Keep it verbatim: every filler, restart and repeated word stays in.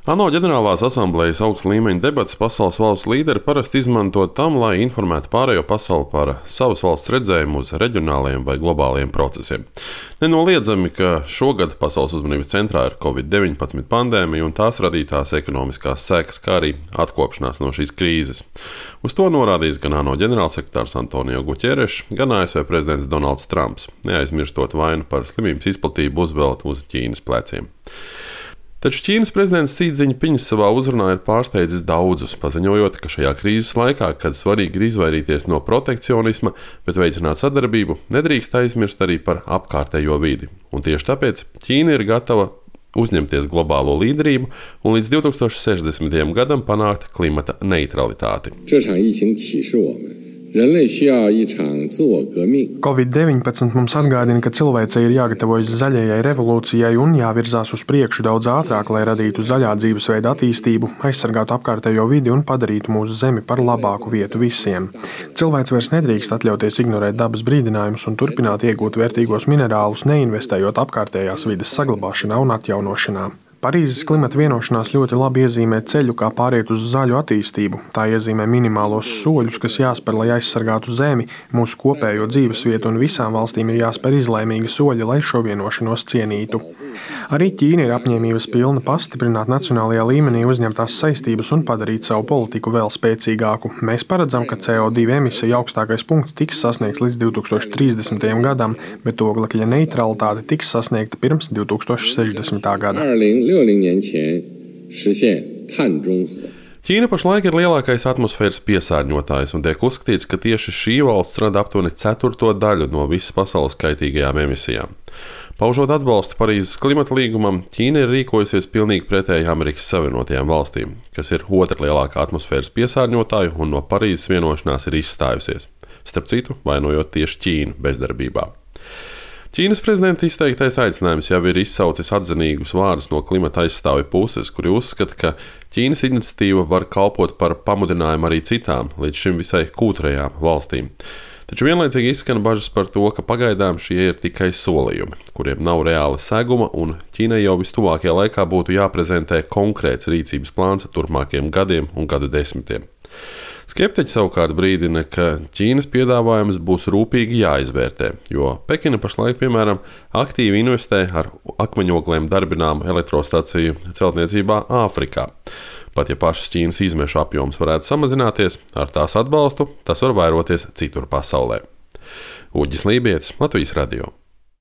ANO ģenerālās asamblējas augsta līmeņa debates pasaules valstu līderi parasti izmanto tam, lai informētu pārējo pasauli par savas valsts redzējumu uz reģionāliem vai globāliem procesiem. Nenoliedzami, ka šogad pasaules uzmanības centrā ir covid deviņpadsmit pandēmija un tās radītās ekonomiskās sekas, kā arī atkopšanās no šīs krīzes. Uz to norādījis gan ANO ģenerālsekretārs Antonio Guterres, gan A S V prezidents Donalds Trumps, neaizmirstot vainu par slimības izplatību uzvelt uz Ķīnas pleciem. Taču Ķīnas prezidents Xi Jinpings savā uzrunā ir pārsteidzis daudzus, paziņojot, ka šajā krīzes laikā, kad svarīgi ir izvairīties no protekcionisma, bet veicināt sadarbību, nedrīkst aizmirst arī par apkārtējo vidi. Un tieši tāpēc Ķīna ir gatava uzņemties globālo līderību un līdz divi tūkstoši sešdesmitajam gadam panākt klimata neutralitāti. covid deviņpadsmit mums atgādina, ka cilvēcei ir jāgatavojas zaļajai revolūcijai un jāvirzās uz priekšu daudz ātrāk, lai radītu zaļā dzīvesveida attīstību, aizsargātu apkārtējo vidi un padarītu mūsu zemi par labāku vietu visiem. Cilvēks vairs nedrīkst atļauties ignorēt dabas brīdinājumus un turpināt iegūt vērtīgos minerālus, neinvestējot apkārtējās vides saglabāšanā un atjaunošanā. Parīzes klimata vienošanās ļoti labi iezīmē ceļu, kā pāriet uz zaļu attīstību. Tā iezīmē minimālos soļus, kas jāspēr, lai aizsargātu zemi, mūsu kopējo dzīvesvietu, un visām valstīm ir jāspēr izlēmīgi soļi, lai šo vienošanos cienītu. Arī Ķīna ir apņēmības pilna pastiprināt nacionālajā līmenī uzņemtās saistības un padarīt savu politiku vēl spēcīgāku. Mēs paredzam, ka C O divi emisiju augstākais punkts tiks sasniegts līdz divi tūkstoši trīsdesmitajam gadam, bet oglekļa neutralitāte tiks sasniegta pirms divi tūkstoši sešdesmitā gada. Ķīna pašlaik ir lielākais atmosfēras piesārņotājs un tiek uzskatīts, ka tieši šī valsts rada aptuveni ceturto daļu no visas pasaules kaitīgajām emisijām. Paužot atbalstu Parīzes klimata līgumam, Ķīna ir rīkojusies pilnīgi pretēji Amerikas Savienotajām valstīm, kas ir otra lielākā atmosfēras piesārņotāja un no Parīzes vienošanās ir izstājusies. Starp citu, vainojot tieši Ķīnu bezdarbībā. Ķīnas prezidenta izteiktais aicinājums jau ir izsaucis atzinīgus vārdus no klimata aizstāvju puses, kuri uzskata, ka Ķīnas iniciatīva var kalpot par pamudinājumu arī citām, līdz šim visai kūtrajām valstīm. Taču vienlaicīgi izskan bažas par to, ka pagaidām šie ir tikai solījumi, kuriem nav reāla seguma, un Ķīnai jau vistuvākajā laikā būtu jāprezentē konkrēts rīcības plāns turpmākajiem gadiem un gadu desmitiem. Skeptiķi savukārt brīdina, ka Ķīnas piedāvājums būs rūpīgi jāizvērtē, jo Pekina pašlaik, piemēram, aktīvi investē ar akmeņogliem darbināmu elektrostaciju celtniecībā Āfrikā. Pat ja pašas Ķīnas izmešu apjoms varētu samazināties, ar tās atbalstu tas var vairoties citur pasaulē. Uģis Lībietis, Latvijas radio.